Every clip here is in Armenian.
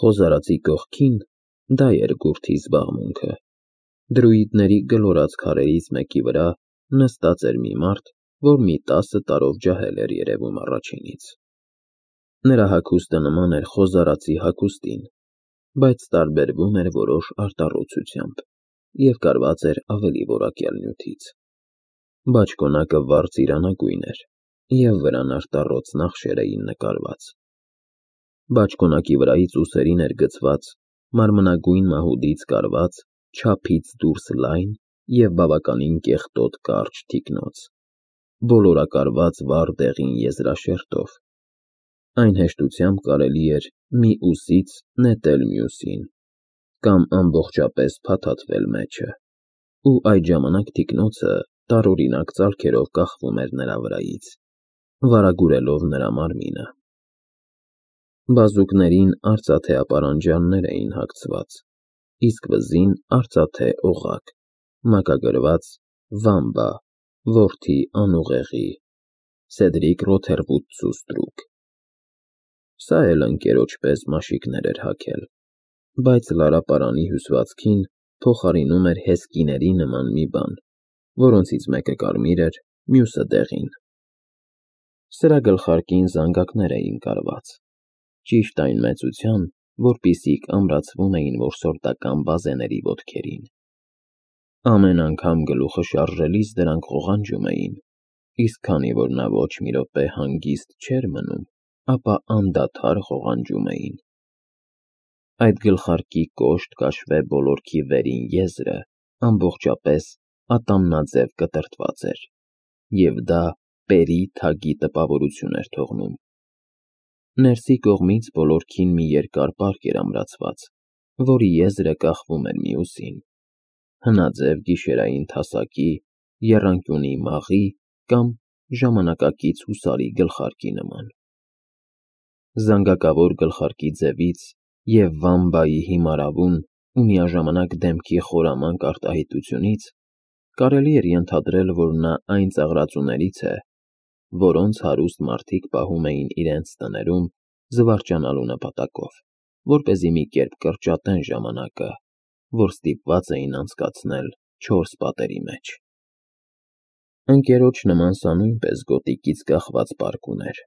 Խոզարածի կողքին դա էր գուրթի զբաղմունքը։ Դրուիդների գլորած քարերից մեկի վրա նստած էր մի մարդ, որ մի 10 տարով ջահել էր երևում առաջինից։ Նրա հագուստը նման էր խոզարածի հագուստին, բայց տարբերվում էր որոշ արտառոցությամբ և կարված էր ավելի որակյալ նյութից։ Բաճկոնակը վառ ծիրանագույն էր, և վրան արտառոց նախշեր էին նկարված։ Բաճկոնակի վրայից ուսերին էր գցված մարմնագույն մահուդից կարված, չափից դուրս լայն և բավականին կեղտոտ կարճ թիկնոց, բոլորակարված վառ դեղին եզրաշերտով։ Այն հեշտությամբ կարելի էր մի ուսից նետել մյուսին, կամ ամբողջապես փաթաթվել մեջը, ու այդ ժամանակ թիկնոցը տարօրինակ ծալքերով կախվում էր նրա վրայից, վարագուրելով նրա մարմինը։ Բազուկներին արծաթե ապարանջաններ էին հագցված, իսկ վզին արծաթե օղակ, մակագրված «Վամբա, որդի անուղեղի, Սեդրիկ Ռոթերվուդցու ստրուկ»։ Սա էլ ընկերոջ պես մաշիկներ էր հագել, բայց լարապարանի հյուսվածքին փոխարինում էր հեսկիների նման մի բան, որոնցից մեկը կարմիր էր, մյուսը դեղին։ Սրա գլխարկին զանգակներ էին կարված, ճիշտ այն մեծության, որպիսիք ամրացվում էին որսորդական բազեների ոտքերին։ Ամեն անգամ գլուխը շարժելիս դրանք ղողանջում էին, իսկ քանի որ նա ոչ մի րոպե հանգիստ չէր մնում, ապա անդադար ղողանջում էին։ Այդ գլխարկի կոշտ կաշվե բոլորքի վերին եզրը ամբողջապես ատամնաձև կտրտված էր, և դա պերի թագի տպավորություն էր թողնում։ Ներսի կողմից բոլորքին մի երկար պարկ էր ամրացված, որի եզրը կախվում էր մյուսին, հնաձև գիշերային թասակի, եռանկյունի մաղի կամ ժամանակակից հուսարի գլխարկի նման։ Զանգակավոր գլխարկի ձևից և Վամբայի հիմարավուն ու միաժամանակ դեմքի խորամանկ արտահայտությունից կարելի էր ենթադրել, որ նա այն ծաղրածուներից է, որոնց հարուստ մարդիկ պահում էին իրենց տներում զվարճանալու նպատակով, որպեսզի մի կերպ կրճատեն ժամանակը, որ ստիպված էին անցկացնել չորս պատերի մեջ։ Ընկերոջ նման սա նույնպես գոտիկից կախված պարկ ուներ,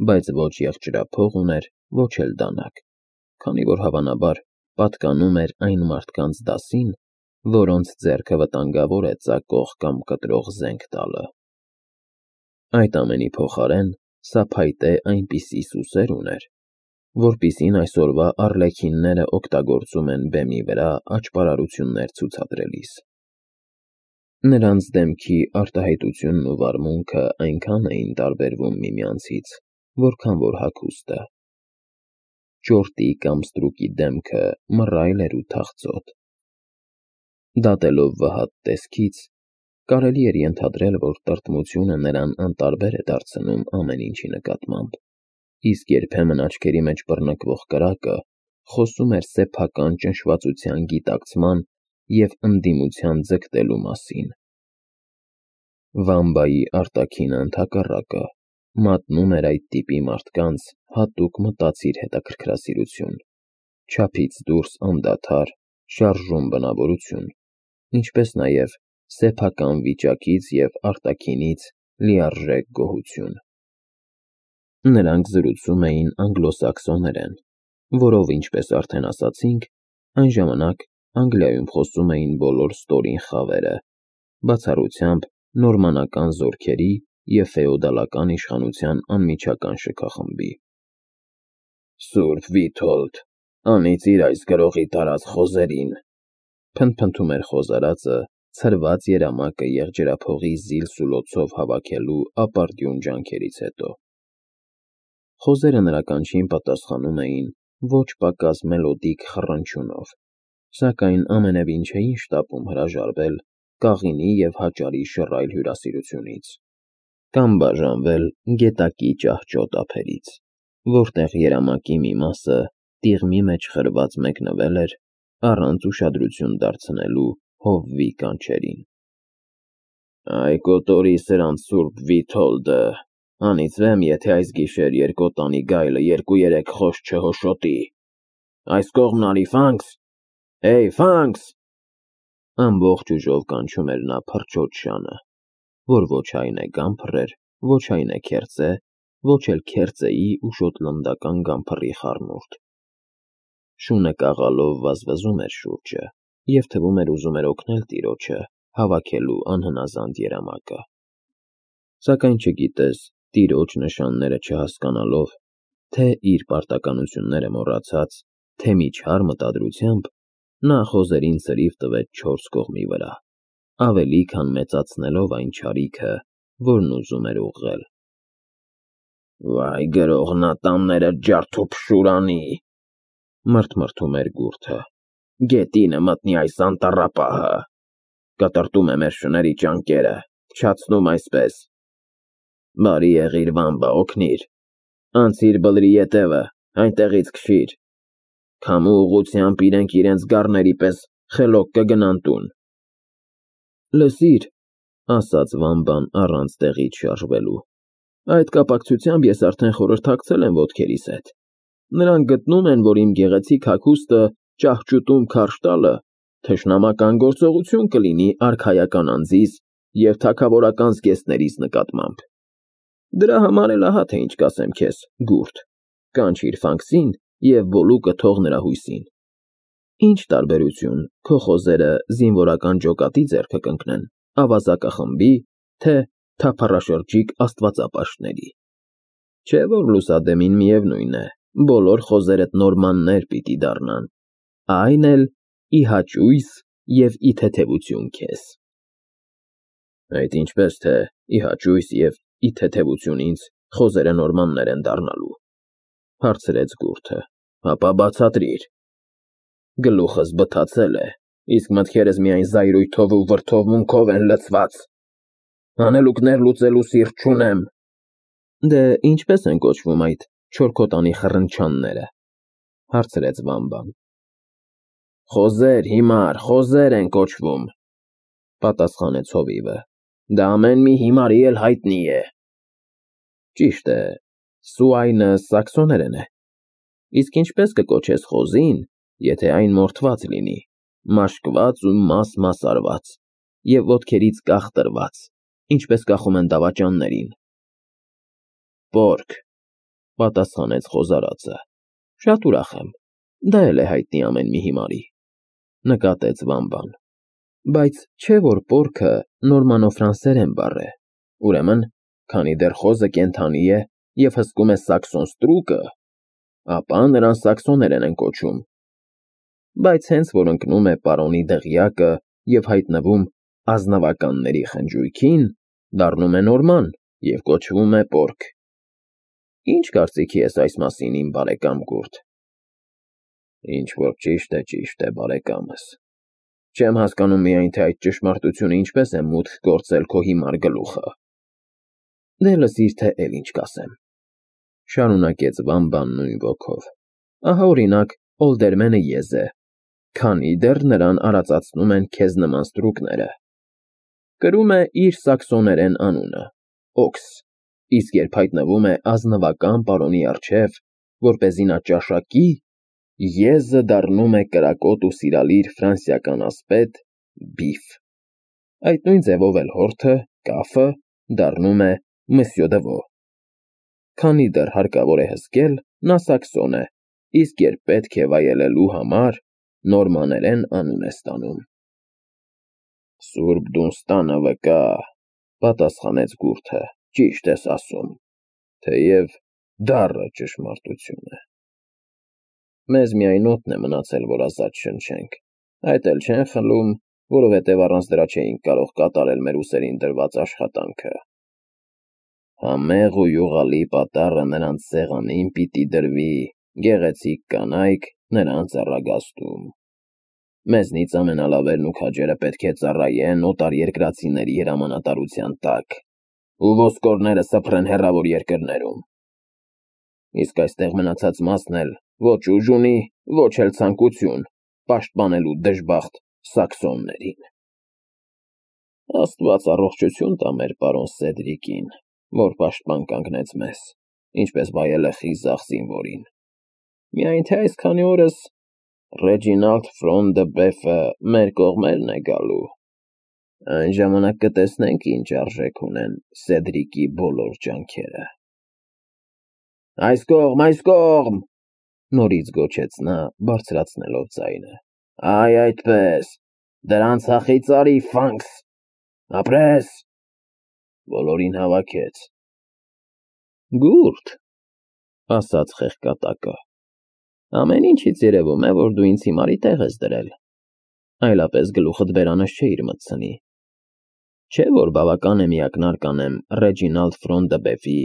բայց ոչ եղջերափող ուներ, ոչ էլ դանակ, քանի որ հավանաբար պատկանում էր այն մարդկանց դասին, որոնց ձեռքը վտանգավոր է ծակող կամ կտրող զենք տալը։ Այդ ամենի փոխարեն սա փայտե այնպիսի սուսեր ուներ, որպիսին այսօրվա արլեքինները օգտագործում են բեմի վրա աճպարարություններ ցուցադրելիս։ Նրանց դեմքի արտահայտությունն ու վարմունքը այնքան էին տարբերվում միմյանցից, որքան որ հագուստը։ Ճորտի կամ ստրուկի դեմքը մռայլ էր ու թախծոտ։ Դատելով վհատ տեսքից, կարելի էր ենթադրել, որ տրտմությունը նրան անտարբեր է դարձնում ամեն ինչի նկատմամբ, իսկ երբեմն աչքերի մեջ բռնկվող կրակը խոսում էր սեփական ճնշվածության գիտակցման և ընդդիմության ձգտելու մասին։ Վամբայի արտաքինը, ընդհակառակը, մատնում էր այդ տիպի մարդկանց հատուկ մտածիր հետաքրքրասիրություն, չափից դուրս անդադար, շարժուն բնավորություն, ինչպես նաև սեփական վիճակից և արտաքինից լիարժեք գոհություն։ Նրանք զրուցում էին անգլոսաքսոներեն, որով, ինչպես արդեն ասացինք, այն ժամանակ Անգլիայում խոսում էին բոլոր ստորին խավերը, բացառությամբ նորմանական զորքերի և ֆեոդալական իշխանության անմիջական շքախմբի։ «Սուրբ Վիթոլդ, անիծիր այս գրողի տարած խոզերին», փնթփնթում էր խոզարածը, ցրված երամակը եղջերափողի զիլ-սուլոցով հավաքելու ապարդյուն ջանքերից հետո։ Խոզերը նրա կանչին պատասխանում էին ոչ պակաս մելոդիկ խռնչյունով, սակայն ամենևին չէին շտապում հրաժարվել կաղինի և հաճարի շռայլ հյուրասիրությունից, կամ բաժանվել գետակի ճահճոտ ափերից, որտեղ երամակի մի մասը տիղմի մեջ խրված մեկնվել էր առանց ուշադրություն դարձնելու հովվի կանչերին։ «Այ կոտորի սրանց Սուրբ Վիթոլդը, անիծվեմ, եթե այս գիշեր երկոտանի գայլը 2-3 խոս չհոշոտի», Այս կողմն արի, Ֆանքս, Էյ, Ֆանքս։ Ամբողջ ուժով կանչում էր նա փրչոտ շանը, որ ոչ այն է գամփռեր, ոչ այն է քերծե, ոչ էլ քերծեի ու շոտլանդական գամփռի խառնուրդ։ Շունը կաղալով վազվզում էր շուրջը և թվում էր ուզում էր օգնել տիրոջը հավաքելու անհնազանդ երամակը։ Սակայն չգիտես, տիրոջ նշանները չհասկանալով, թե իր պարտականությունները մոռացած, թե մի չար մտադրությամբ, նա խոզերին ցրիվ տվեց 4 կողմի վրա, ավելի քան մեծացնելով այն չարիքը, որն ուզում էր ուղղել։ Վայ գրողնատանները ջարդուփշուրանի, մրթմրթում էր գուրդը, գետինը մտնի այս անտառապահը, կտրտում է մեր շների ճանկերը, փչացնում այսպես։ Բարի եղիր, Վամբա, օգնիր, անցիր բլրի ետևը, այնտեղից քշիր, քամու ուղղությամբ իրենք իրենց գառների պես խելոք կգնան տուն։ Լսիր, ասաց Վամբան առանց տեղից շարժվելու, այդ կապակցությամբ ես արդեն խորհրդակցել եմ ոտքերիս հետ։ Նրանք գտնում են, որ իմ գեղեցիկ հագուստը ճահճուտում քարշ տալը թշնամական գործողություն կլինի արքայական անձիս և թագավորական զգեստներիս նկատմամբ։ Դրա համար էլ ահա թե ինչ կասեմ քեզ, գուրդ, կանչիր Ֆանքսին և Բոլուկը թող նրա հույսին։ Ինչ տարբերություն քո խոզերը զինվորական ջոկատի ձեռքը կընկնեն, ավազակախմբի, թե թափառաշրջիկ աստվածապաշտների։ Չէ՞ որ լուսադեմին միևնույն է, բոլոր խոզերդ նորմաններ պիտի դառնան, այն էլ ի հաճույս և ի թեթևություն քեզ։ Այդ ինչպես թե ի հաճույս և ի թեթևություն ինձ խոզերը նորմաններ են դառնալու, հարցրեց գուրդը, ապա բացատրիր։ Գլուխս բթացել է, իսկ մտքերս միայն զայրույթով ու վրդովմունքով են լցված։ Հանելուկներ լուծելու սիրտ չունեմ։ Դե ինչպես են կոչվում այդ չորքոտանի խռնչանները, հարցրեց Վամբան։ Խոզեր, հիմար, խոզեր են կոչվում, պատասխանեց հովիվը, դա ամեն մի հիմարի էլ հայտնի է։ Ճիշտ է, սուայնը սաքսոներեն է, իսկ ինչպես կկոչես խոզին, եթե այն մորթված լինի, մաշկված ու մաս արված և ոտքերից կախտրված, ինչպես կախում են դավաճաններին։ Պորկ, պատասխանեց խոզարածը, շատ ուրախ եմ, դա էլ է հայտնի ամեն մի հիմարի, նկատեց Վամբան, բայց չէ որ պորքը նորմանոֆրանսերեն բառ է, ուրեմն, քանի դեռ խոզը կենդանի է և հսկում է սաքսոն ստրուկը, ապա նրան սաքսոներեն են կոչում, բայց հենց որ ընկնում է պարոնի դղյակը և հայտնվում ազնվականների խնջույքին, դառնում է նորման և կոչվում է պորկ։ Ինչ կարծիքի ես այս մասին, իմ բարեկամ գուրդ։ Ինչ որ ճիշտ է, բարեկամս։ Չեմ հասկանում միայն, թե այդ ճշմարտությունը ինչպես է մուտք գործել քո հիմար գլուխը։ Դե լսիր, թե էլ ինչ կասեմ, շարունակեց Վամբան նույն ոգով։ Ահա օրինակ Օլդերմենը եզ է, քանի դեռ նրան արածացնում են քեզ նման ստրուկները։ Կրում է իր սաքսոներեն անունը՝ Օքս, իսկ երբ հայտնվում է ազնվական պարոնի առջև, որպեսզի նա ճաշակի, եզը դառնում է կրակոտ ու սիրալիր ֆրանսիական ասպետ Բիֆ։ Այդ նույն ձևով էլ հորթը, կաֆը դառնում է Մսյո Դվո։ Քանի դեռ հարկավոր է հսկել, նա սաքսոն է, իսկ երբ պետք է վայելելու համար, նորմաներեն անուն է ստանում։ Սուրբ Դունստանը վկա, պատասխանեց գուրդը, ճիշտ ես ասում, թեև դառը ճշմարտություն է։ Մեզ միայն օդն է մնացել, որ ազատ շնչենք, այդ էլ չեն խլում, որովհետև առանց դրա չէինք կարող կատարել մեր ուսերին դրված աշխատանքը։ Համեղ ու յուղալի պատառը նրանց սեղանին պիտի դրվի, գեղեցիկ կանայք նրանց առագաստում։ Մեզնից ամենալավերն ու քաջերը պետք է ծառայեն օտարերկրացիների հրամանատարության տակ, ու ոսկորները սփռեն հեռավոր երկրներում։ Իսկ այստեղ մնացած մասն էլ ոչ ուժ ունի, ոչ էլ ցանկություն պաշտպանելու դժբախտ սաքսոններին։ Աստված առողջություն տա մեր պարոն Սեդրիկին, որ պաշտպան կանգնեց մեզ, ինչպես վայել է խիզախ զինվորին։ Միայն թե այսքանի օրս Ռեջինալդ Ֆրոն դը Բեֆը մեր կողմերն է գալու։ Այն ժամանակ կտեսնենք, ինչ արժեք ունեն Սեդրիկի բոլոր ջանքերը։ Այս կողմ, նորից գոչեց նա, բարձրացնելով ձայնը։ Այ այդպես, դրանց հախից արի, Ֆանքս, ապրես, բոլորին հավաքեց։ Գուրդ, ասաց խեղկատակը, ամեն ինչից երևում է, որ դու ինձ հիմարի տեղ ես դրել, այլապես գլուխդ բերանս չէիր մտցնի, չէ որ բավական է միակնարկ անեմ Ռեջինալդ Ֆրոն դը Բեֆի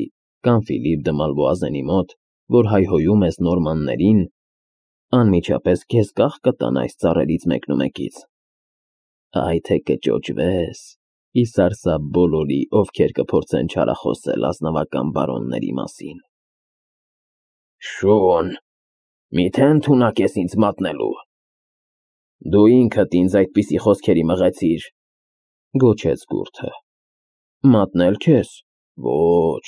կամ Ֆիլիպ դը Մալվոազենի մոտ, որ հայհոյում ես նորմաններին, անմիջապես քեզ կախ կտան այս ծառերից մեկնումեկից, այ թե կճոճվես, իսարսափ բոլորի, ովքեր կփորձեն չարախոսել ազնվական բարոնների մասին։ Շոն, միթե ընդունակ ես ինձ մատնելու։ Դու ինքդ ինձ այդպիսի խոսքերի մղեցիր, գոչեց Գուրդը։ Մատնել քեզ։ Ոչ,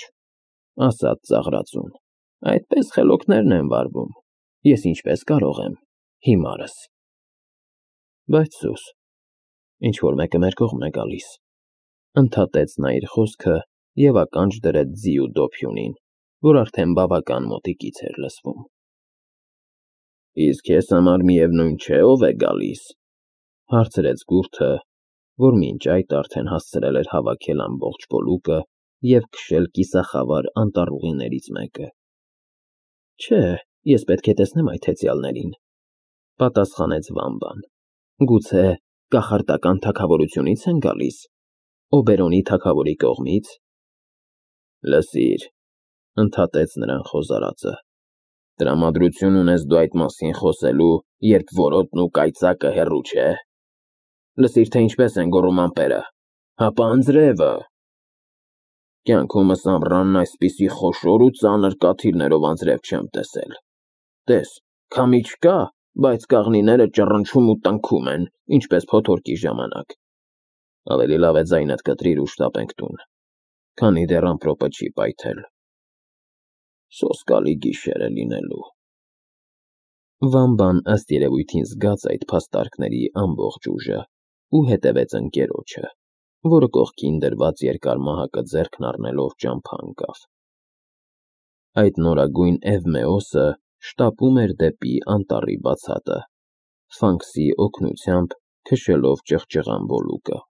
ասաց ծաղրածուն, այդպես խելոքներն են վարվում, ես ինչպես կարող եմ, հիմարս։ Բայց սուս, ինչ-որ մեկը մեր կողմն է գալիս, ընդհատեց նա իր խոսքը և ականջ դրեց ձիու դոփյունին, որ արդեն բավական մոտիկից էր լսվում։ Իսկ ես համար միևնույն չէ, ով է գալիս, հարցրեց Գուրդը, որ մինչ այդ արդեն հասցրել էր հավաքել ամբողջ բոլուկը և քշել կիսախավար անտառուղիներից մեկը։ Չէ, ես պետք է տեսնեմ այդ հեծյալներին, պատասխանեց Վամբան։ Գուցե կախարդական թագավորությունից են գալիս, Օբերոնի թագավորի կողմից։ Լսիր, ընդհատեց նրան խոզարածը, տրամադրություն ունես դու այդ մասին խոսելու, երբ որոտն ու կայծակը հեռու չէ։ Լսիր, թե ինչպես են գոռում ամպերը, հապա անձրևը։ Կյանքումս ամռանն այսպիսի խոշոր ու ծանր կաթիլներով անձրև չեմ տեսել։ Տես, քամի չկա, բայց կաղնիները ճռնչում ու տնքում են, ինչպես փոթորկի ժամանակ։ Ավելի լավ է ձայնդ կտրիր ու շտապենք տուն, քանի դեռ ամպրոպը չի պայթել։ Սոսկալի գիշեր է լինելու։ Վամբան ըստ երևույթին զգաց այդ փաստարկների ամբողջ ուժը ու հետևեց ընկերոջը, որը կողքին դրված երկար մահակը ձեռքն առնելով ճամփա ընկավ։ Այդ նորագույն Էվմեոսը շտապում էր դեպի անտառի բացատը, Ֆանքսի օգնությամբ քշելով ճղճղան բոլուկը։